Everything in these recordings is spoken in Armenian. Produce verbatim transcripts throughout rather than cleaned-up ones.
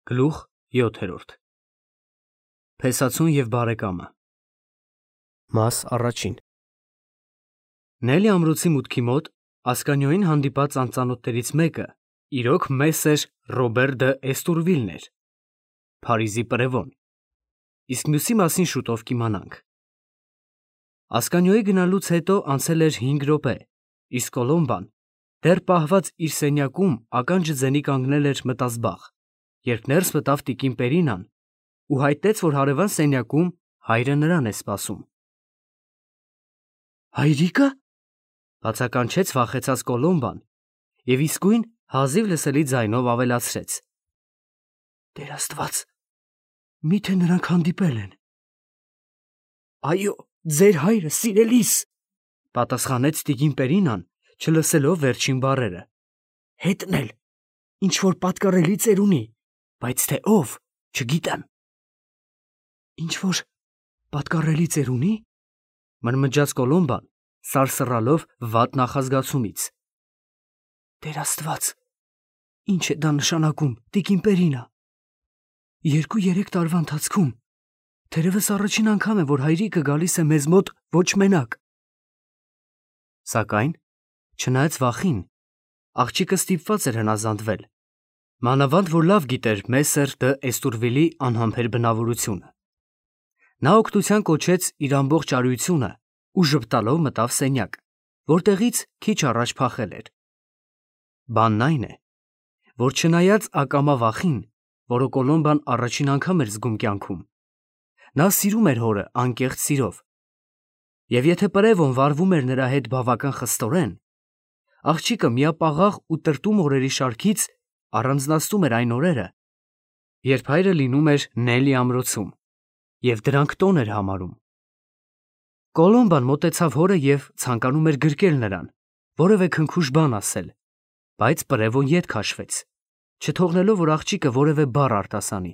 Գլուխ յոթերորդ Փեսացուն և բարեկամը Մաս առաջին Նելի ամրոցի մուտքի մոտ ասկանյոյին հանդիպած անծանոթներից մեկը իրոք մեսեր Ռոբեր դը Էստուրվիլն էր, Փարիզի պրևոն, իսկ մյուսի մասին շուտով կիմանանք։ Ասկանյոյի գնալուց հետո անցել էր հինգ րոպե, իսկ Կոլոմբան դեռ պահված իր սենյակում ականջը ձենի կանգնել էր մտազբաղ, երբ ներս մտավ տիկին Պերինան ու հայտնեց, որ հարևան սենյակում հայրը նրան է սպասում։ Հայրիկը, բացականչեց վախեցած Կոլոմբան և իսկույն հազիվ լսելի ձայնով ավելացրեց. Տեր Աստված, միթե նրանք հանդիպել են։ Այո, ձեր հայրը սիրելիս, պատասխանեց տիկին Պերինան, չլսելով վերջին բառերը, հետն էլ, ինչ որ պատկառելի ծերունի, բայց թե ով, չգիտեմ։ Ինչ որ պատկառելի ծերունի, մրմնջաց Կոլոմբան, սարսռալով վատ նախազգացումից։ Տեր Աստված, ինչ է դա նշանակում, տիկին Պերինա։ Երկու-երեք տարվա ընթացքում թերևս առաջին անգամ է, որ հայրիկը գալիս է մեզ մոտ ոչ մենակ։ Սակայն, չնայած վախին, աղջիկը ստիպված էր հնազանդվել, մանավանդ որ լավ գիտեր մեսեր դը Էստուրվիլի անհամբեր բնավորությունը։ Նա օգնության կոչեց իր ամբողջ արիությունը ու ժպտալով մտավ սենյակ, որտեղից քիչ առաջ փախել էր։ Բանն այն է, որ չնայած ակամա վախին, որը Կոլոմբան առաջին անգամ էր զգում կյանքում, նա սիրում էր հորը անկեղծ սիրով, և եթե պրևոն վարվում էր նրա հետ բավական խստորեն, աղջիկը միապաղաղ ու տրտում օրերի շարքից առանձնացնում էր այն օրերը, երբ հայրը լինում էր Նելի ամրոցում, և դրանք տոն էր համարում։ Կոլոմբան մոտեցավ հորը և ցանկանում էր գրկել նրան, որևէ քնքուշ բան ասել, բայց պրևոն ետ քաշվեց, չթողնելով, որ աղջիկը որևէ բառ արտասանի։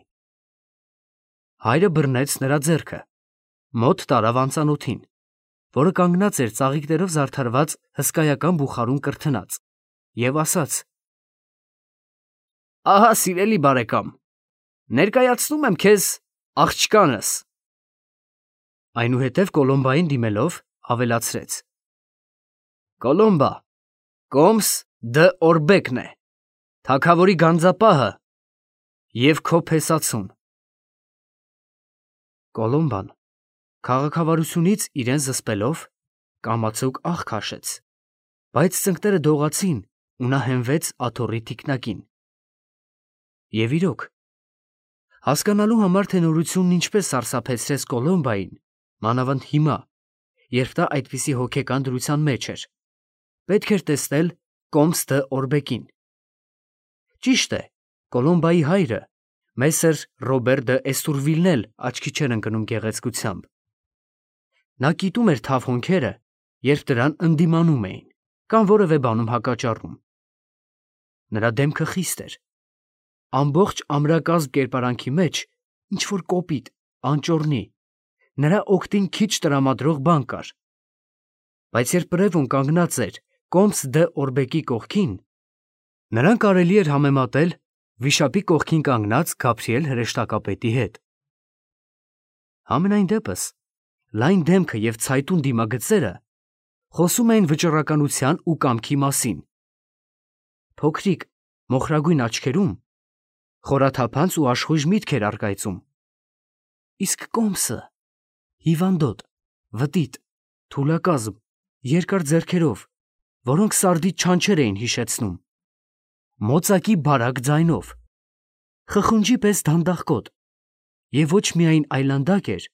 Հայրը բռնեց նրա ձեռքը, մոտ տարավ անծանոթին, որը կանգնած էր ծաղիկներով զարդարված հսկայական բուխարում կրթնած, և ասաց. Ահա, սիրելի բարեկամ, ներկայացնում եմ քեզ աղջկանս։ Այնուհետև Կոլոմբային դիմելով ավելացրեց. Կոլոմբա, Կոմս դը Օրբեկն է, թագավորի գանձապահը և քո փեսացուն։ Կոլոմբան քաղաքավարությունից իրեն զսպելով կամացուկ աղ քաշեց, բայց ծնկները դողացին ու նա հենվեց աթոռի թիկնակին։ Եվ իրոք, հասկանալու համար, թե նորությունն ինչպես սարսափեցրեց Կոլոմբային, մանավանդ հիմա, երբ նա այդպիսի հոգեկան դրության մեջ էր, պետք էր տեսնել Կոմս դը Օրբեկին։ Ճիշտ է, Կոլոմբայի հայրը, մեսեր Ռոբեր դը Էստուրվիլն էլ աչքի չէր ընկնում գեղեցկությամբ։ Նա կիտում էր թավ հոնքերը, երբ դրան ընդդիմանում էին, կամ որևէ բանում հակաճառում։ Նրա դեմքը խիստ էր, ամբողջ ամրակազմ կերպարանքի մեջ ինչ-որ կոպիտ, անճոռնի, նրա օգտին քիչ տրամադրող բան կար։ Բայց երբ պրևոն կանգնած էր Կոմս դը Օրբեկի կողքին, նրան կարելի էր համեմատել վիշապի կողքին կանգնած Գաբրիել հրեշտակապետի հետ։ Համենայն դեպս, լայն դեմքը և ցայտուն դիմագծերը խոսում էին վճռականության ու կամքի մասին։ Փոքրիկ, մոխրագույն աչքերում խորաթափանց ու աշխույժ միտք էր առկայծում։ Իսկ Կոմսը հիվանդոտ, վտիտ, թուլակազմ, երկար ձեռքերով, որոնք սարդիդ չանչեր էին հիշեցնում, մոծակի բարակ ձայնով, խխունջի պես դանդաղկոտ և ոչ միայն այլանդակ էր,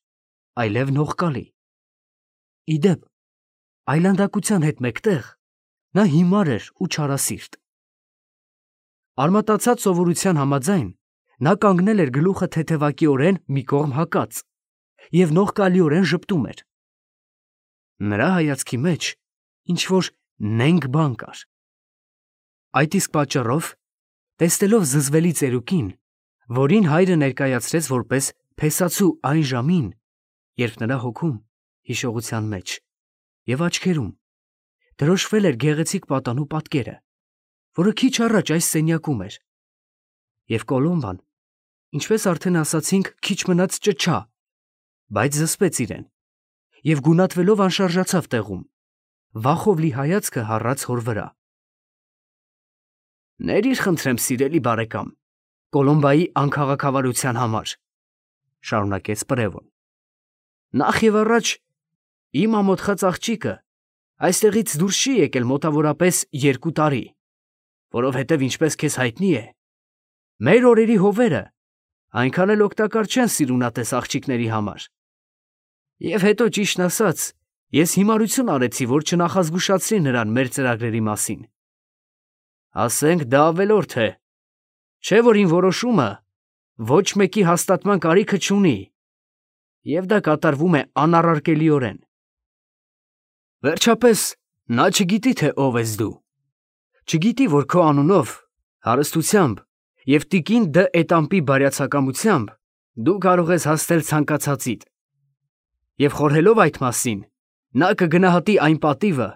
այլև նողկալի։ Ի դեպ, այլանդակության հետ մեկտեղ նա հիմար էր ու չարասիրտ։ Արմատացած սովորության համաձայն, նա կանգնել էր գլուխը թեթևակիորեն մի կողմ հակած և նողկալիորեն ժպտում էր։ Նրա հայացքի մեջ ինչ-որ նենգ բան կար։ Այդ իսկ պատճառով, տեսնելով զզվելի ծերուկին, որին հայրը ներկայացրեց որպես փեսացու այն ժամին, երբ նրա հոգում, հիշողության մեջ և աչքերում դրոշվել էր գեղեցիկ պատանու պատկերը, որը քիչ առաջ այս սենյակում էր, և Կոլոմբան Ինչպես արդեն ասացինք, քիչ մնաց ճչա, բայց զսպեց իրեն և գունատվելով անշարժացավ տեղում, վախով լի հայացքը հառաց հոր վրա։ «Ներիր, խնդրեմ, սիրելի բարեկամ, Կոլոմբայի անքաղաքավարության համար», շարունակեց Պրևոն։ «Նախ և առաջ իմ ամոթխած աղջիկը այստեղից դուրս չի եկել մոտավորապես երկու տարի, որովհետև ինչպես քեզ հայտնի է, մեր օրերի հովերը այնքան էլ օգտակար չեն սիրունատես աղջիկների համար։ Եվ հետո, ճիշտն ասած, ես հիմարություն արեցի, որ չնախազգուշացրի նրան մեր ծրագրերի մասին։ Ասենք դա ավելորդ է, չէ՞ որ իմ որոշումը ոչ մեկի հաստատման կարիքը չունի, և դա կատարվում է անառարկելիորեն։ Վերջապես, նա չգիտի, թե ով ես դու, չգիտի, որ քո անունով, հարստությամբ և տիկին Դ. Էտամպի բարյացակամությամբ դու կարող ես հասնել ցանկացածիդ, և խորհելով այդ մասին, նա կգնահատի այն պատիվը,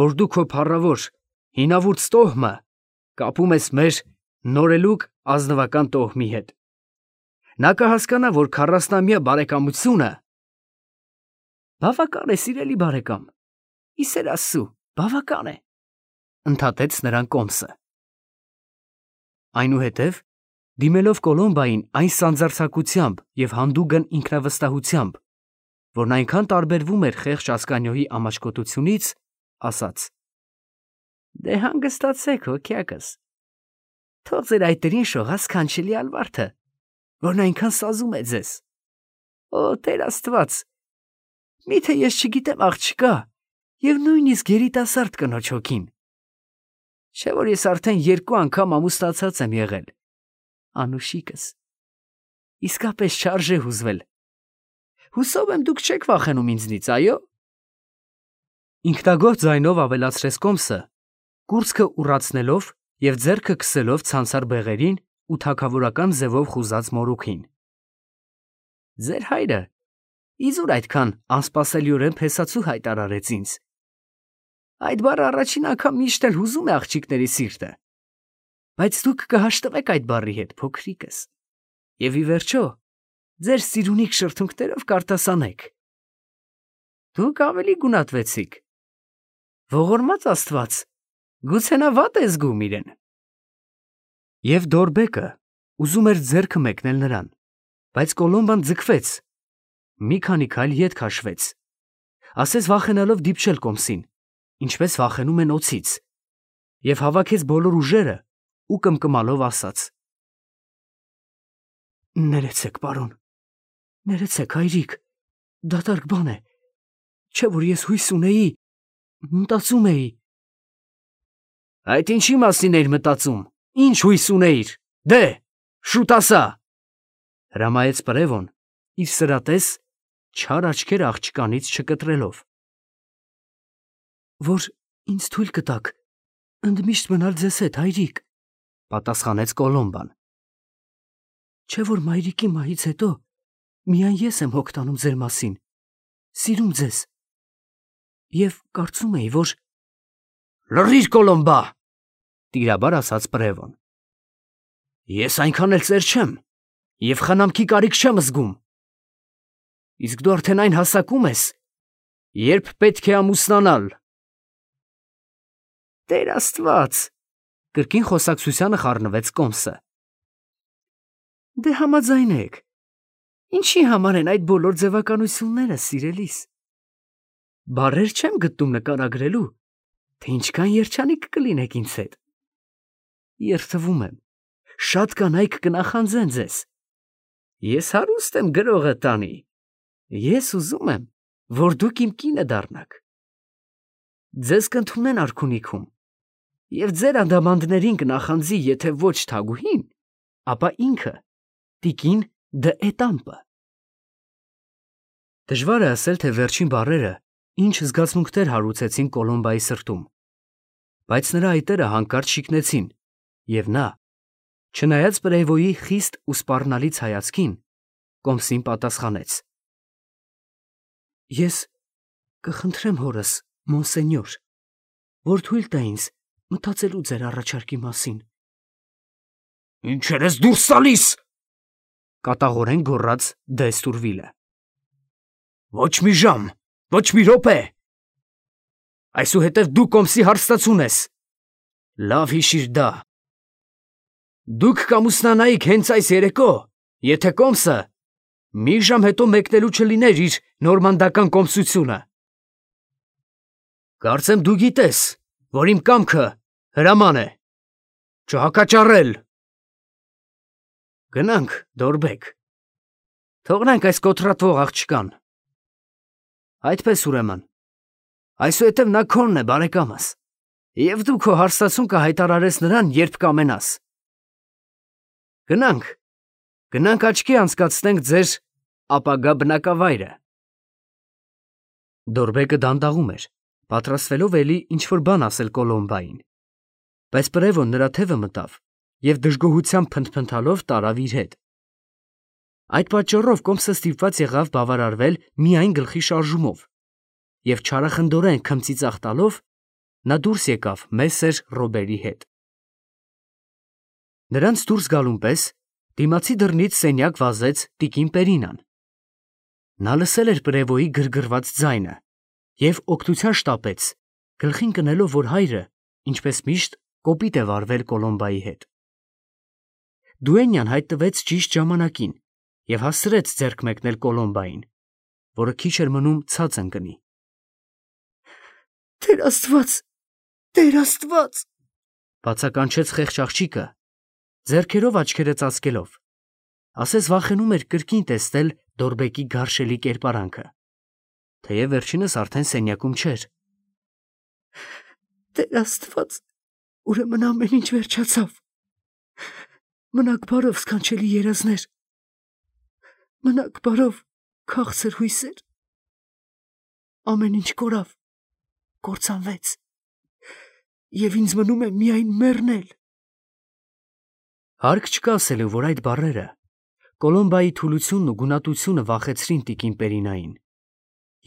որ դու քո փառավոր, հինավուրց տոհմը կապում ես մեր նորելուկ ազնվական տոհմի հետ։ Նա կհասկանա, որ քառասնամյա բարեկամությունը… Բավական է, սիրելի բարեկամ, ի սեր Աստծու, բավական է, ընդհատեց նրան Կոմսը։ Այնուհետև, դիմելով Կոլոմբային այն սանձարձակությամբ և հանդուգն ինքնավստահությամբ, որն այնքան տարբերվում էր խեղճ Ասկանիոյի ամաչկոտությունից, ասաց. «Դե հանգստացեք, հոգյակս, թող ձեր այտերին շողա սքանչելի Ալվարդը, որն այնքան սազում է ձեզ։ Օ, Տեր Աստված, միթե ես չգիտեմ աղջկա և նույնիսկ երիտասարդ կնոջ հոգին, չէ՞ որ ես արդեն երկու անգամ ամուսնացած եմ եղել, անուշիկս, իսկապես չարժե հուզվել։ Հուսով եմ, դուք չեք վախենում ինձնից, այո՞։ Ինքնագոհ ձայնով ավելացրեց Կոմսը, կուրծքը ուռացնելով և ձեռքը քսելով ցանցառ բեղերին ու թագավորական ձևով խուզած մորուքին։ Ձեր հայրը իզուր այդքան անսպասելիորեն փեսացու հայտարարեց ինձ։ Այդ բառը առաջին անգամ միշտ էլ հուզում է աղջիկների սիրտը, բայց դուք կհաշտվեք այդ բառի հետ, փոքրիկս, և ի վերջո ձեր սիրունիկ շրթունքներով կարտասանեք։ Դուք ավելի գունատվեցիք։ Ողորմած Աստված, գուցե նա վատ է զգում իրեն։ Եվ Դորբեկը ուզում էր ձեռքը մեկնել նրան, բայց Կոլոմբան ձգվեց, մի քանի քայլ ետ քաշվեց, ասես վախենալով դիպչել Կոմսին, ինչպես վախենում են օձից, և հավաքեց բոլոր ուժերը ու կմկմալով ասաց. «Ներեցեք, պարոն, ներեցեք, հայրիկ, դատարկ բան է, չէ՞ որ ես հույս ունեի, մտածում էի…» Այդ ինչի մասին էիր մտածում, ինչ հույս ունեիր, դե, շուտ ասա, հրամայեց Պրևոն, իր սրատես չար աչքերը աղջկանից չկտրելով։ Որ ինձ թույլ կտաք ընդմիշտ մնալ ձեզ հետ, հայրիկ, պատասխանեց Կոլոմբան։ Չէ՞ որ մայրիկի մահից հետո միայն ես եմ հոգ տանում ձեր մասին, սիրում ձեզ, և կարծում էի, որ… Լռի՛ր, Կոլոմբա, տիրաբար ասաց Պրևոն։ Ես այնքան էլ ծեր չեմ և խնամքի կարիք չեմ զգում։ Իսկ դու արդեն այն հասակում ես, երբ պետք է ամուսնանալ։ Տեր Աստված, կրկին խոսակցությանը խառնվեց Կոմսը։ Դե համաձայնեք, ինչի համար են այդ բոլոր ձևականությունները, սիրելիս։ Բառեր չեմ գտնում նկարագրելու, թե ինչքան երջանիկ կլինեք ինձ հետ։ Երդվում եմ, շատ կանայք կնախանձեն ձեզ։ Ես հարուստ եմ գրողը տանի, ես ուզում եմ, որ դուք իմ կինը դառնաք։ Ձեզ կընդունեն արքունիքում, և ձեր անդամանդներին կնախանձի եթե ոչ թագուհին, ապա ինքը, տիկին Դ. Էտամպը։ Դժվար է ասել, թե վերջին բառերը ինչ զգացմունքներ հարուցեցին Կոլոմբայի սրտում, բայց նրա այտերը հանկարծ շիկնեցին, և նա, չնայած Պրևոյի խիստ ու սպառնալից հայացքին, Կոմսին պատասխանեց. Ես կխնդրեմ հորս, մոնսենյոր, որ թույլ տա ինձ մտածելու ձեր առաջարկի մասին։ Ինչեր ես դուրս տալիս, կատաղորեն գոռաց դե Էստուրվիլը։ Ոչ մի ժամ, ոչ մի րոպե։ Այսուհետև դու կոմսի հարստացուն ես։ Լավ հիշիր դա։ Դուք կամուսնանայիք հենց այս երեկո, եթե կոմսը մի ժամ հետո մեկնելու չլիներ իր նորմանդական կոմսությունը։ Կարծեմ դու գիտես, որ իմ կամքը հրաման է, չհակաճառել։ Գնանք, Դորբեկ, թողնենք այս կոտրատվող աղջկան։ Այդպես ուրեմն, այսուհետև նա քոնն է, բարեկամս, և դու քո հարստացուն կհայտարարես նրան, երբ կամենաս։ Գնանք, գնանք աչքի անցկացնենք ձեր ապագա բնակավայրը։ Դորբեկը դանդաղում էր, պատրաստվելով էլի ինչ-որ բան ասել Կոլոմբային, բայց Պրևոն նրա թևը մտավ և դժգոհությամբ փնթփնթալով տարավ իր հետ։ Այդ պատճառով կոմսը ստիպված եղավ բավարարվել միայն գլխի շարժումով, և չարախնդորեն քմծիծաղ տալով նա դուրս եկավ մեսեր Ռոբերի հետ։ Նրանց դուրս գալուն պես դիմացի դռնից սենյակ վազեց տիկին Պերինան։ Նա լսել էր Պրևոյի գրգռված ձայնը և օգնության շտապեց, գլխին կնելով, որ հայրը, ինչպես միշտ, կոպիտ է վարվել Կոլոմբայի հետ։ Դուենյան հայտնվեց ճիշտ ժամանակին և հասցրեց ձեռք մեկնել Կոլոմբային, որը քիչ էր մնում ցած ընկնի։ Տեր Աստված, Տեր Աստված, բացականչեց խեղճ աղջիկը, ձեռքերով աչքերը ծածկելով, ասես վախենում էր կրկին տեսնել Դորբեկի գարշելի կերպարանքը, թեև վերջինս արդեն սենյակում չէր։ Տեր Աստված, ուրեմն ամեն ինչ վերջացավ։ Մնաք բարով, սքանչելի երազներ, մնաք բարով, քաղցր հույսեր։ Ամեն ինչ կորավ, կործանվեց, և ինձ մնում է միայն մեռնել։ Հարկ չկա ասելու, որ այդ բառերը Կոլոմբայի թուլությունն ու գունատությունը վախեցրին տիկին Պերինային,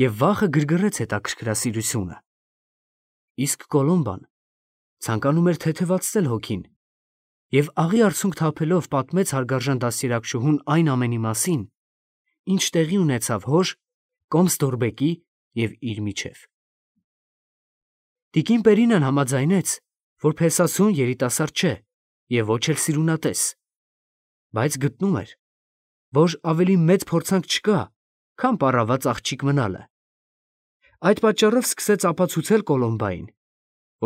և վախը գրգռեց հետաքրքրասիրությունը։ Իսկ Կոլոմբան ցանկանում էր թեթևացնել հոգին և աղի արցունք թափելով պատմեց հարգարժան դաստիարակչուհուն այն ամենի մասին, ինչ տեղի ունեցավ հոր, կոմս Դորբեկի և իր միջև։ Տիկին Պերինան համաձայնեց, որ փեսասուն երիտասարդ չէ և ոչ էլ սիրունատես, բայց գտնում էր, որ ավելի մեծ փորձանք չկա, քան պառաված աղջիկ մնալը։ Այդ պատճառով սկսեց ապացուցել Կոլոմբային,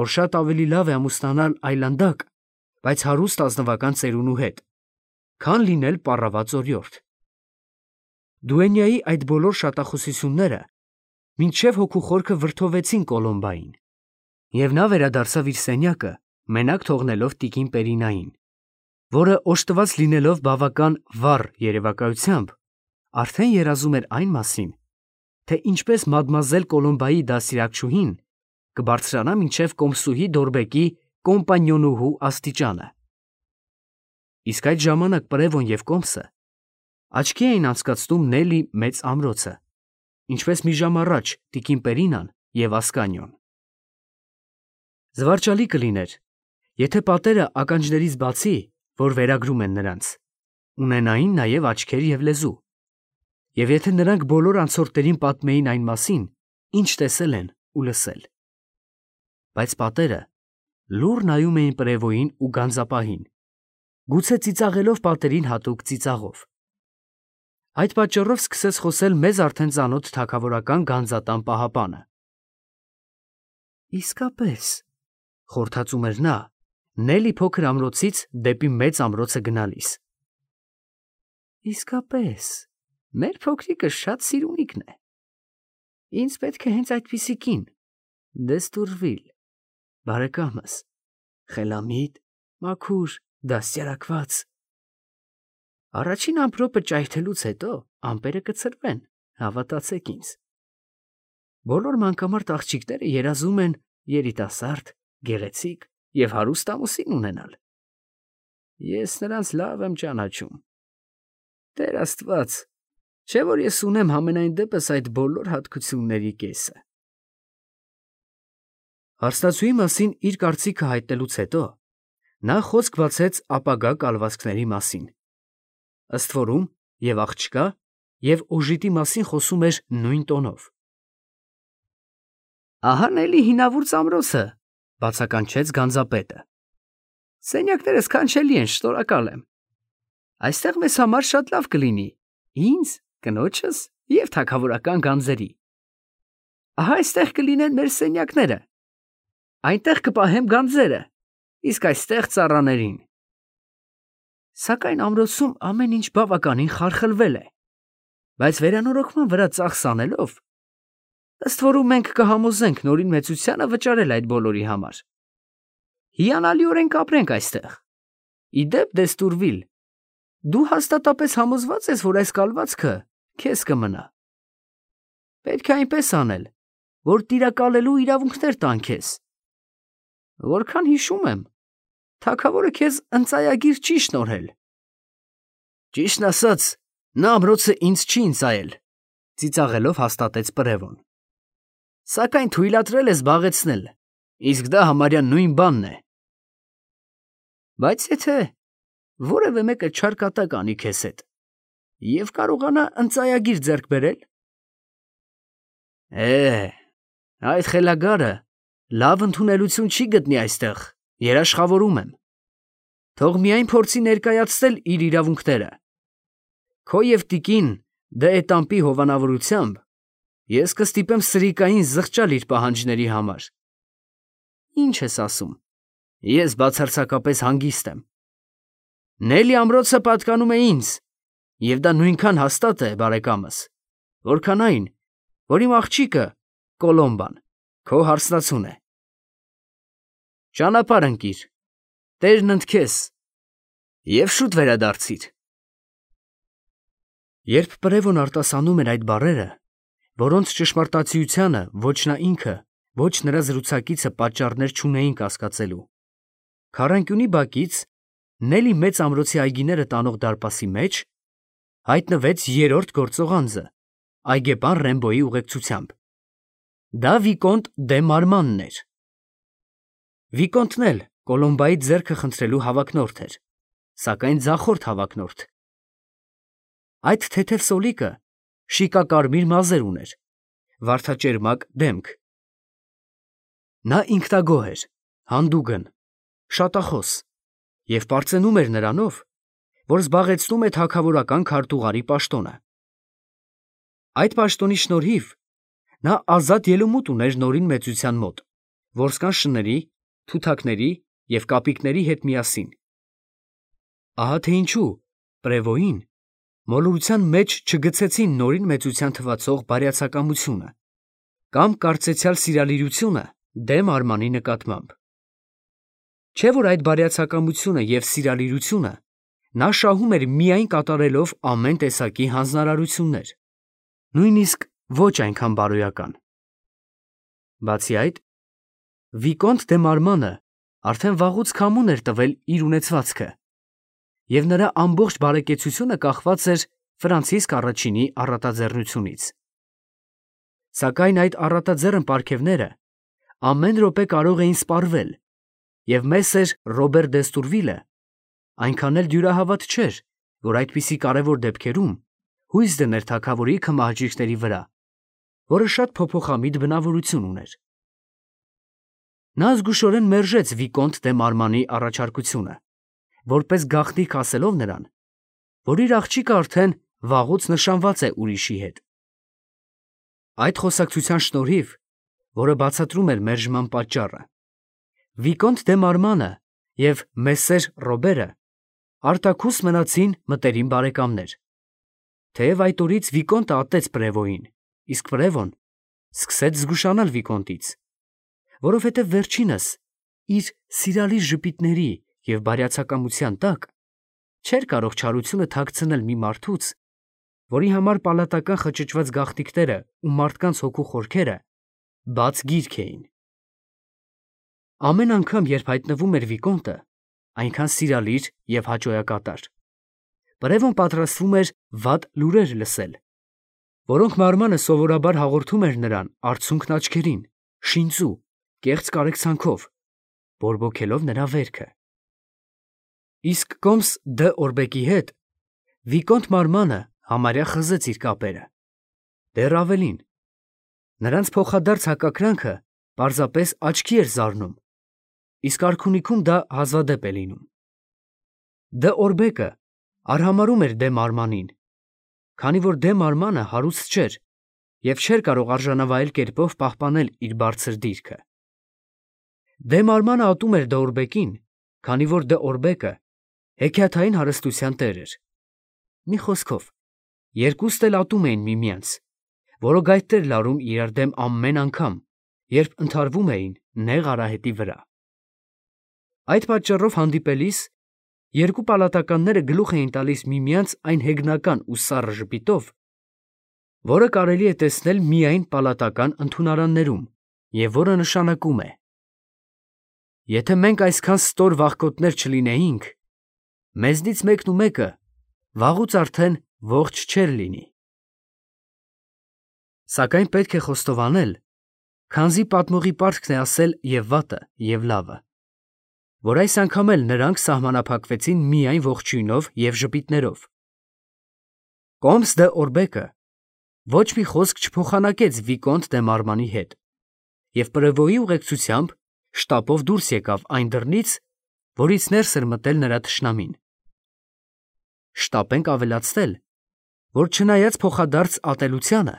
որ շատ ավելի լավ է ամուսնանալ այլանդակ, բայց հարուստ ազնվական ծերունու հետ, քան լինել պառաված օրիորդ։ Դուենյայի այդ բոլոր շատախոսությունները մինչև հոգու խորքը վրդովվեցին Կոլոմբային, և նա վերադարձավ իր սենյակը, մենակ թողնելով տիկին Պերինային, որը օժտված լինելով բավական վառ երևակայությամբ, արդեն երազում էր այն մասին, թե ինչպես մադմազել Կոլոմբայի դաստիարակչուհին կբարձրանա մինչև կոմսուհի Դորբեկի կոմպանյոնուհու աստիճանը։ Իսկ այդ ժամանակ Պրևոն և կոմսը աչքի էին անցկացնում Նելի մեծ ամրոցը, ինչպես մի ժամ առաջ տիկին Պերինան և Ասկանիոն։ Զվարճալի կլիներ, եթե պատերը ականջներից բացի, որ վերագրում են նրանց, ունենային նաև աչքեր և լեզու, և եթե նրանք բոլոր անցորդներին պատմեին այն մասին, ինչ տեսել են ու լսել։ Բայց պատերը լուռ նայում էին Պրևոյին ու գանձապահին, գուցե ծիծաղելով պատերին հատուկ ծիծաղով։ Այդ պատճառով սկսեց խոսել մեզ արդեն ծանոթ թագավորական գանձատան պահապանը։ Իսկապես, խորհրդածում էր նա, Նելի փոքր ամրոցից դեպի մեծ ամրոցը գնալիս։ Իսկապես, մեր փոքրիկը շատ սիրունիկն է։ Ինձ պետք է հենց այդպիսի կին, Դեստուրվիլ, բարեկամս, խելամիտ, մաքուր, դաստիարակված։ Առաջին ամպրոպը ճայթելուց հետո ամպերը կցրվեն, հավատացեք ինձ։ Բոլոր մանկամարդ աղջիկները երազում են երիտասարդ, գեղեցիկ և հարուստ ամուսին ունենալ։ Ես նրանց լավ եմ ճանաչում։ Տեր Աստված, չէ՞ որ ես ունեմ համենայն դեպս այդ բոլոր հատկությունների կեսը։ Հարստացուի մասին իր կարծիքը հայտնելուց հետո նա խոսք բացեց ապագա կալվածքների մասին, ըստ որում և աղջկա, և օժիտի մասին խոսում էր նույն տոնով։ Ահա էլի հինավուրց ամրոցը, բացականչեց գանձապետը։ Սենյակները սքանչելի են, շնորհակալ եմ։ Այստեղ մեզ համար շատ լավ կլինի, ինձ, կնոջս և թագավորական գանձերի։ Ահա այստեղ կլինեն մեր սենյակները, այնտեղ կպահեմ գանձերը, իսկ այստեղ ծառաներին։ Սակայն ամրոցում ամեն ինչ բավականին խարխլվել է, բայց վերանորոգման վրա ծախս անելով, ըստ որում մենք կհամոզենք Նորին Մեծությանը վճարել այդ բոլորի համար։ Հիանալիորեն կապրենք այստեղ։ Ի դեպ, Դեստուրվիլ, դու հաստատապես համոզված ես, որ այս կալվածքը քեզ կմնա։ Պետք է այնպես անել, որ տիրակալելու իրավունքներ տան քեզ։ Որքան հիշում եմ, թագավորը քեզ ընծայագիր չի շնորհել։ Ճիշտն ասած, նա ամրոցը ինձ չի ընծայել, ծիծաղելով հաստատեց Պրևոն։ Սակայն թույլատրել է զբաղեցնել, իսկ դա համարյա նույն բանն է։ Բայց եթե որևէ մեկը չար կատակ անի քեզ հետ և կարողանա ընծայագիր ձեռք բերել։ Է, այդ խելագարը լավ ընդունելություն չի գտնի այստեղ, երաշխավորում եմ։ Թող միայն փորձի ներկայացնել իր իրավունքները։ Քո և տիկին դե Էտամպի հովանավորությամբ ես կստիպեմ սրիկային զղջալ իր պահանջների համար։ Ինչ ես ասում, ես բացարձակապես հանգիստ եմ։ Նելի ամրոցը պատկանում է ինձ, և դա նույնքան հաստատ է, բարեկամս, որքան այն, որ իմ աղջիկը Կոլոմբան քո հարսնացուն է։ Ճանապարհ ընկիր, Տերն ընդ քեզ, և շուտ վերադարձիր։ Երբ Պրևոն արտասանում էր այդ բառերը, որոնց ճշմարտացիությանը ոչ նա ինքը, ոչ նրա զրուցակիցը պատճառներ չունեին կասկածելու, քառանկյունի բակից Նելի մեծ ամրոցի այգիները տանող դարպասի մեջ հայտնվեց երրորդ գործող անձը, այգեպան Ռեմբոյի ուղեկցությամբ։ Դա Վիկոնտ դե Մարմանն էր։ Վիկոնտն էլ Կոլոմբայի ձեռքը խնդրելու հավակնորդ էր, սակայն ձախորդ հավակնորդ։ Այդ թեթև սոլիկը շիկակարմիր մազեր ուներ, վարդաճերմակ դեմք։ Նա ինքնագոհ էր, հանդուգն, շատախոս և պարծենում էր նրանով, որ զբաղեցնում է թագավորական քարտուղարի պաշտոնը։ Այդ պաշտոնի շնորհիվ նա ազատ ելումուտ ուներ Նորին Մեծության մոտ, որսկան շների, թութակների և կապիկների հետ միասին։ Ահա թե ինչու Պրևոյին մոլորության մեջ չգցեցին Նորին Մեծության թվացող բարյացակամությունը կամ կարծեցյալ սիրալիրությունը դեմ Արմանի նկատմամբ։ Չէ՞ որ այդ բարյացակամությունը և սիրալիրությունը նա շահում էր միայն կատարելով ամեն տեսակի հանձնարարություններ, նույնիսկ ոչ այնքան բարոյական։ Բացի այդ, Վիկոնտ դե Մարմանը արդեն վաղուց քամուն էր տվել իր ունեցվածքը, և նրա ամբողջ բարեկեցությունը կախված էր Ֆրանցիսկ առաջինի առատաձեռնությունից։ Սակայն այդ առատաձեռն պարգևները ամեն րոպե կարող էին սպառվել, և մեսեր Ռոբեր Դեստուրվիլը այնքան էլ դյուրահավատ չէր, որ այդպիսի կարևոր դեպքերում հույս դներ թագավորի քմահաճույքների վրա, որը շատ փոփոխամիտ բնավորություն ուներ։ Նա զգուշորեն մերժեց Վիկոնտ դե Մարմանի առաջարկությունը, որպես գաղտնիք ասելով նրան, որ իր աղջիկը արդեն վաղուց նշանված է ուրիշի հետ։ Այդ խոսակցության շնորհիվ, որը բացատրում էր մերժման պատճառը, Վիկոնտ դե Մարմանը և մեսեր Ռոբերը արտաքուս մնացին մտերիմ բարեկամներ։ Թեև այդ օրից Վիկոնտը ատեց Պրևոյին, իսկ Պրևոն սկսեց զգուշանալ Վիկոնտից, որովհետև վերջինս իր սիրալիր ժպիտների և բարյացակամության տակ չէր կարող չարությունը թաքցնել մի մարդուց, որի համար պալատական խճճված գաղտնիքները ու մարդկանց հոգու խորքերը բաց գիրք էին։ Ամեն անգամ, երբ հայտնվում էր Վիկոնտը, այնքան սիրալիր և հաճոյակատար, Պրևոն պատրաստվում էր վատ լուրեր լսել, որոնք Մարմանը սովորաբար հաղորդում էր նրան արցունքն աչքերին, շինծու, կեղծ կարեկցանքով, բորբոքելով նրա վերքը։ Իսկ Կոմս դ'Օրբեկի հետ Վիկոնտ Մարմանը համարյա խզեց իր կապերը։ Դեռ ավելին, նրանց փոխադարձ հակակրանքը պարզապես աչքի էր զարնում, իսկ արքունիքում դա հազվադեպ է լինում։ Դե Օրբեկը արհամարհում էր Դե Մարմանին, քանի որ Դե Մարմանը հարուստ չէր և չէր կարող արժանավայել կերպով պահպանել իր բարձր դիրքը։ Դե Մարմանը ատում էր Դե Օրբեկին, քանի որ Դե Օրբեկը հեքիաթային հարստության տեր էր։ Մի խոսքով, երկուստ էլ ատում էին միմյանց, որոգայթ էր լարում իրար դեմ ամեն անգամ, երբ ընդհարվում էին նեղ արահետի վրա։ Այդ պատճառով հանդիպելիս երկու պալատականները գլուխ էին տալիս միմյանց այն հեգնական ու սառը ժպիտով, որը կարելի է տեսնել միայն պալատական ընդունարաններում և որը նշանակում է. «Եթե մենք այսքան ստոր վախկոտներ չլինեինք, մեզնից մեկն ու մեկը վաղուց արդեն ողջ չէր լինի»։ Սակայն պետք է խոստովանել, քանզի պատմողի պարտքն է ասել և վատը, և լավը, որ այս անգամ էլ նրանք սահմանափակվեցին միայն ողջույնով և ժպիտներով։ Կոմս դե Օրբեկը ոչ մի խոսք չփոխանակեց Վիկոնտ դե Մարմանի հետ և պրևոյի ուղեկցությամբ շտապով դուրս եկավ այն դռնից, որից ներս էր մտել նրա թշնամին։ Շտապենք ավելացնել, որ չնայած փոխադարձ ատելությանը,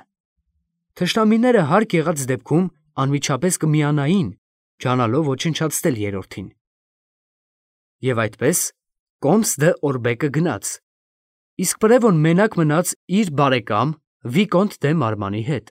թշնամիները հարկ եղած դեպքում անմիջապես կմիանային, ջանալով ոչնչացնել երրորդին։ Եվ այդպես Կոմս դե Օրբեկը գնաց, իսկ պրևոն մենակ մնաց իր բարեկամ Վիկոնտ դե Մարմանի հետ։